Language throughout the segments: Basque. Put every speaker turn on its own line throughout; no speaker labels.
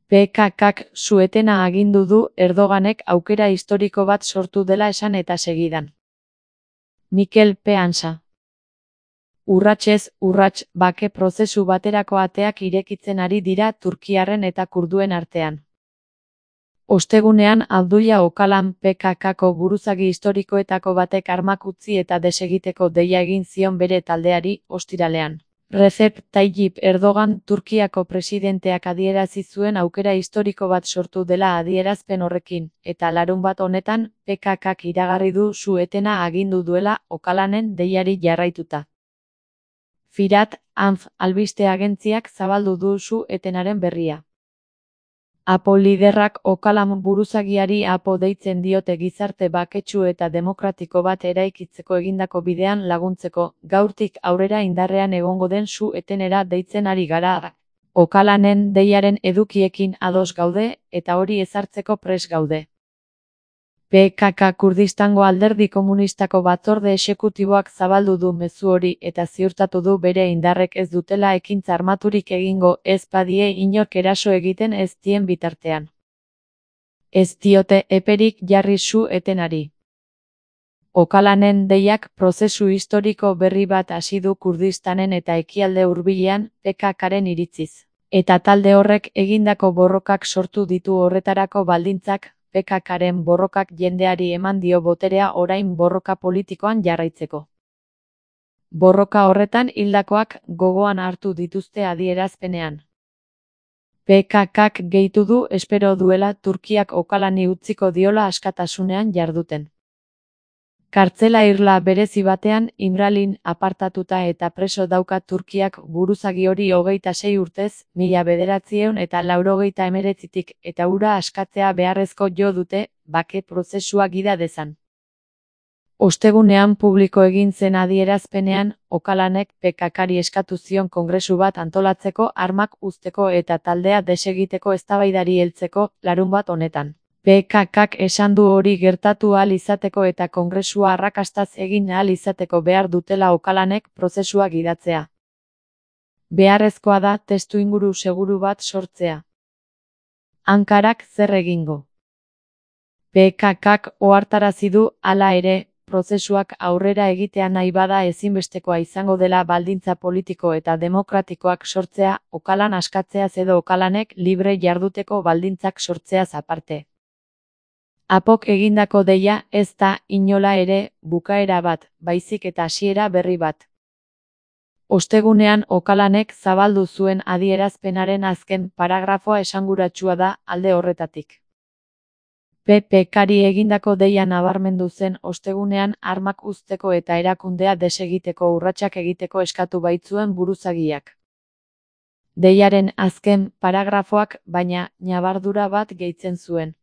PKKk su-etena agindu du Erdoganek aukera historiko bat sortu dela esan eta segidan. Mikel Peansa. Urratsez urrats bake prozesu baterako ateak irekitzen ari dira turkiarren eta kurduen artean. Ostegunean Abdullah Öcalan PKKko buruzagi historikoetako batek armak utzi eta desegiteko deia egin zion bere taldeari ostiralean. Recep Tayyip Erdogan Turkiako presidenteak adierazi zuen aukera historiko bat sortu dela adierazpen horrekin, eta larunbat honetan PKKk iragarri du su-etena agindu duela Öcalanen deiari jarraituta. Firat Anf albiste agentziak zabaldu du su-etenaren berria. APO liderrak Öcalan buruzagiari APO deitzen diote gizarte baketsu eta demokratiko bat eraikitzeko egindako bidean laguntzeko, gaurtik aurrera indarrean egongo den su-etenera deitzen ari gara. Öcalanen deiaren edukiekin ados gaude, eta hori ezartzeko prest gaude. PKK Kurdistango Alderdi Komunistako batzorde exekutiboak zabaldu du mezu hori eta ziurtatu du bere indarrek ez dutela ekintza armaturik egingo ez badie inork eraso egiten ez dien bitartean. Ez diote eperik jarri su-etenari. Öcalanen deiak prozesu historiko berri bat hasi du Kurdistanen eta ekialde hurbilean PKKren iritziz. Eta talde horrek egindako borrokak sortu ditu horretarako baldintzak. PKKren borrokak jendeari eman dio boterea orain borroka politikoan jarraitzeko. Borroka horretan hildakoak gogoan hartu dituzte adierazpenean. PKKk gehitu du espero duela Turkiak Öcalani utziko diola askatasunean jarduten. Kartzela irla berezi batean Imralin apartatuta eta preso dauka Turkiak buruzagi hori 26 urtez, 1989tik eta hura askatzea beharrezko jo dute, bake prozesua gida dezan. Ostegunean publiko egin zen adierazpenean, Öcalanek PKKri eskatu zion kongresu bat antolatzeko armak uzteko eta taldea desegiteko eztabaidari heltzeko larunbat honetan. PKKk esan du hori gertatu ahal izateko eta kongresua arrakastaz egin ahal izateko behar dutela Öcalanek prozesua gidatzea. Beharrezkoa da testuinguru seguru bat sortzea. Ankarak zer egingo? PKKk ohartarazi du, hala ere, prozesuak aurrera egitea nahi bada ezinbestekoa izango dela baldintza politiko eta demokratikoak sortzea, Öcalan askatzeaz edo Öcalanek libre jarduteko baldintzak sortzeaz aparte. APOk egindako deia ez da inola ere bukaera bat, baizik eta hasiera berri bat. Ostegunean Öcalanek zabaldu zuen adierazpenaren azken paragrafoa esanguratsua da alde horretatik. PKKri egindako deia nabarmendu zen ostegunean armak uzteko eta erakundea desegiteko urratsak egiteko eskatu baitzuen buruzagiak. Deiaren azken paragrafoak baina ñabardura bat gehitzen zuen.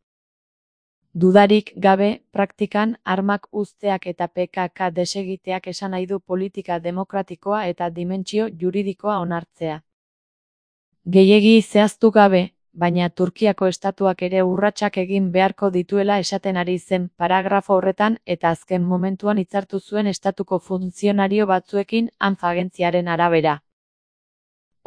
Dudarik gabe, praktikan, armak uzteak eta PKK desegiteak esan nahi du politika demokratikoa eta dimentsio juridikoa onartzea. Gehiegi zehaztu gabe, baina Turkiako estatuak ere urratsak egin beharko dituela esaten ari zen paragrafo horretan eta azken momentuan hitzartu zuen estatuko funtzionario batzuekin Anf agentziaren arabera.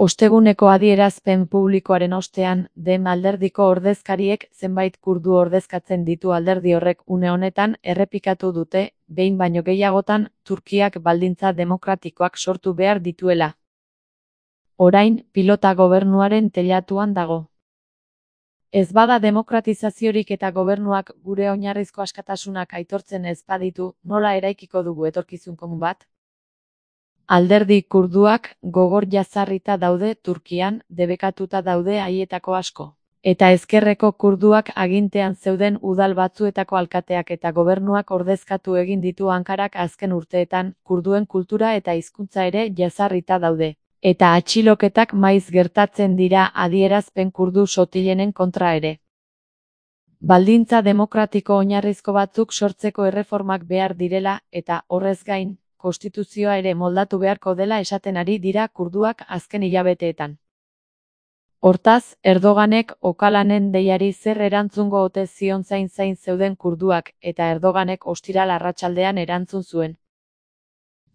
Osteguneko adierazpen publikoaren ostean, Dem alderdiko ordezkariek zenbait kurdu ordezkatzen ditu alderdi horrek une honetan errepikatu dute, behin baino gehiagotan, Turkiak baldintza demokratikoak sortu behar dituela. Orain, pilota gobernuaren teilatuan dago. Ez bada demokratizaziorik eta gobernuak gure oinarrizko askatasunak aitortzen ez baditu, nola eraikiko dugu etorkizun komun bat? Alderdi kurduak gogor jazarrita daude Turkian, debekatuta daude haietako asko. Eta ezkerreko kurduak agintean zeuden udal batzuetako alkateak eta gobernuak ordezkatu egin ditu Ankarak azken urteetan, kurduen kultura eta hizkuntza ere jazarrita daude. Eta atxiloketak maiz gertatzen dira adierazpen kurdu sotilenen kontra ere. Baldintza demokratiko oinarrizko batzuk sortzeko erreformak behar direla eta horrez gain, konstituzioa ere moldatu beharko dela esaten ari dira kurduak azken hilabeteetan. Hortaz, Erdoganek Öcalanen deiari zer erantzungo ote zion zain zeuden kurduak eta Erdoganek ostiral arratsaldean erantzun zuen.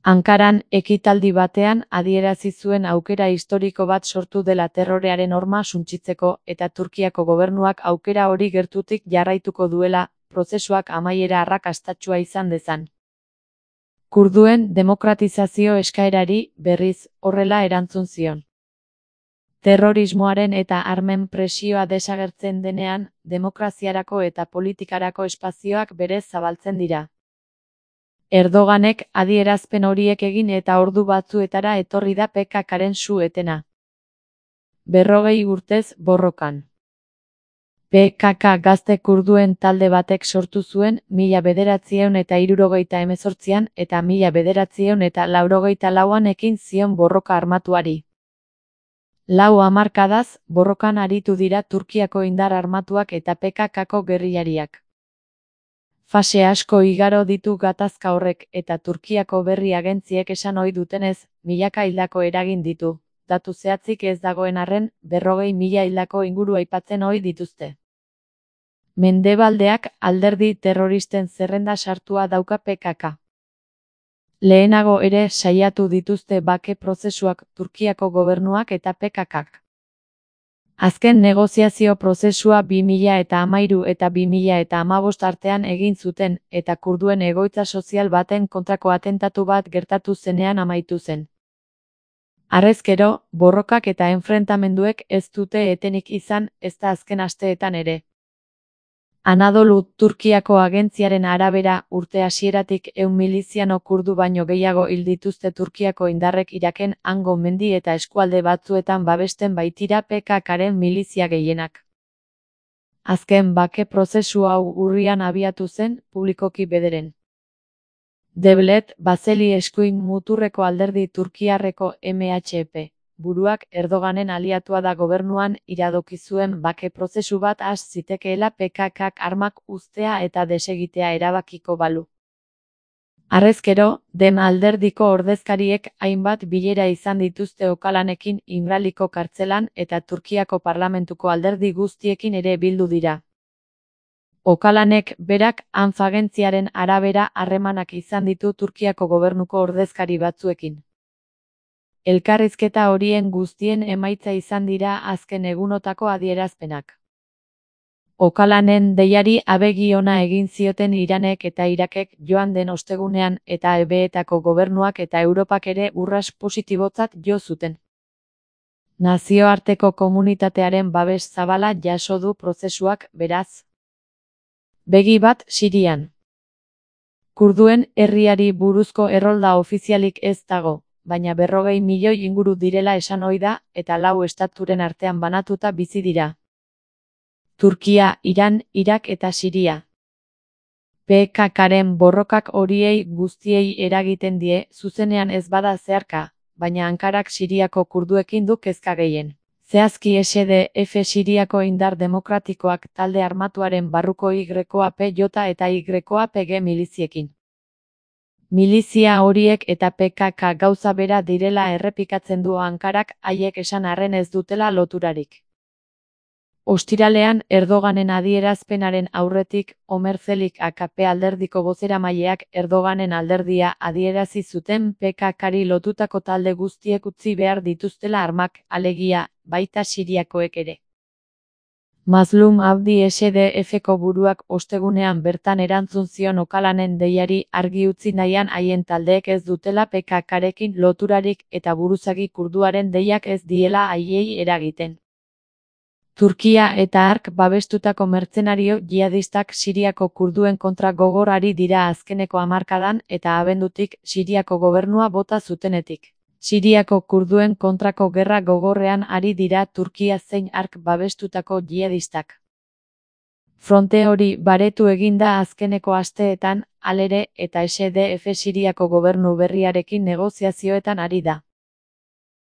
Ankaran ekitaldi batean adierazi zuen aukera historiko bat sortu dela terrorearen horma suntsitzeko eta Turkiako gobernuak aukera hori gertutik jarraituko duela, prozesuak amaiera arrakastatsua izan dezan. Kurduen demokratizazio eskaerari, berriz, horrela erantzun zion. Terrorismoaren eta armen presioa desagertzen denean, demokraziarako eta politikarako espazioak berez zabaltzen dira. Erdoganek adierazpen horiek egin eta ordu batzuetara etorri da PKKren su-etena. 40 urtez borrokan. PKK gazte kurduen talde batek sortu zuen 1978an eta 1984an ekin zion borroka armatuari. 4 hamarkadaz, borrokan aritu dira Turkiako indar armatuak eta PKKko gerrillariak. Fase asko igaro ditu gatazka horrek eta Turkiako berri agentziek esan ohi dutenez, milaka hildako eragin ditu. Datu zehatzik ez dagoen arren, 40.000 hildako inguru aipatzen ohi dituzte. Mendebaldeak alderdi terroristen zerrenda sartua dauka PKK. Lehenago ere saiatu dituzte bake prozesuak Turkiako gobernuak eta PKKk. Azken negoziazio prozesua 2013 eta 2015 artean egin zuten, eta kurduen egoitza sozial baten kontrako atentatu bat gertatu zenean amaitu zen. Harrezkero, borrokak eta enfrentamenduek ez dute etenik izan, ezta azken asteetan ere. Anadolu Turkiako agentziaren arabera, urte hasieratik 100 miliziano kurdu baino gehiago hil dituzte Turkiako indarrek Iraken, hango mendi eta eskualde batzuetan babesten baitira PKKren milizia gehienak. Azken bake prozesu hau urrian abiatu zen, publikoki bederen. Devlet Bahçeli eskuin muturreko alderdi turkiarreko MHP. Buruak Erdoganen aliatua da gobernuan iradoki zuen bake prozesu bat has zitekeela PKKk armak uztea eta desegitea erabakiko balu. Harrezkero, den alderdiko ordezkariek hainbat bilera izan dituzte Öcalanekin İmraliko kartzelan eta Turkiako parlamentuko alderdi guztiekin ere bildu dira. Öcalanek berak ANF agentziaren arabera harremanak izan ditu Turkiako gobernuko ordezkari batzuekin. Elkarrizketa horien guztien emaitza izan dira azken egunotako adierazpenak. Öcalanen deiari abegi ona egin zioten Iranek eta Irakek joan den ostegunean eta EBEetako gobernuak eta Europak ere urrats positibotzat jo zuten. Nazioarteko komunitatearen babes zabala jaso du prozesuak, beraz. Begi bat Sirian. Kurduen herriari buruzko errolda ofizialik ez dago, baina 40 milioi inguru direla esan ohi da, eta 4 estaturen artean banatuta bizi dira. Turkia, Iran, Irak eta Siria. PKKren borrokak horiei guztiei eragiten die, zuzenean ez bada zeharka, baina Ankarak Siriako kurduekin du kezka gehien. Zehazki SDF Siriako indar demokratikoak talde armatuaren barruko YPJ eta YPG miliziekin. Milizia horiek eta PKK gauza bera direla errepikatzen du Ankarak, haiek esan arren ez dutela loturarik. Ostiralean Erdoganen adierazpenaren aurretik, Omer Zelik AKP alderdiko bozeramaileak Erdoganen alderdia adierazi zuten PKKri lotutako talde guztiek utzi behar dituztela armak, alegia, baita Siriakoek ere. Mazlum Abdi SDFko buruak ostegunean bertan erantzun zion Öcalanen deiari argi utzi nahian haien taldeek ez dutela PKKrekin loturarik eta buruzagi kurduaren deiak ez diela haiei eragiten. Turkia eta hark babestutako mertzenario jihadistak Siriako kurduen kontra gogor ari dira azkeneko hamarkadan eta abendutik Siriako gobernua bota zutenetik. Siriako kurduen kontrako gerra gogorrean ari dira Turkia zein hark babestutako jihadistak. Fronte hori baretu eginda azkeneko asteetan, halere, eta SDF Siriako gobernu berriarekin negoziazioetan ari da.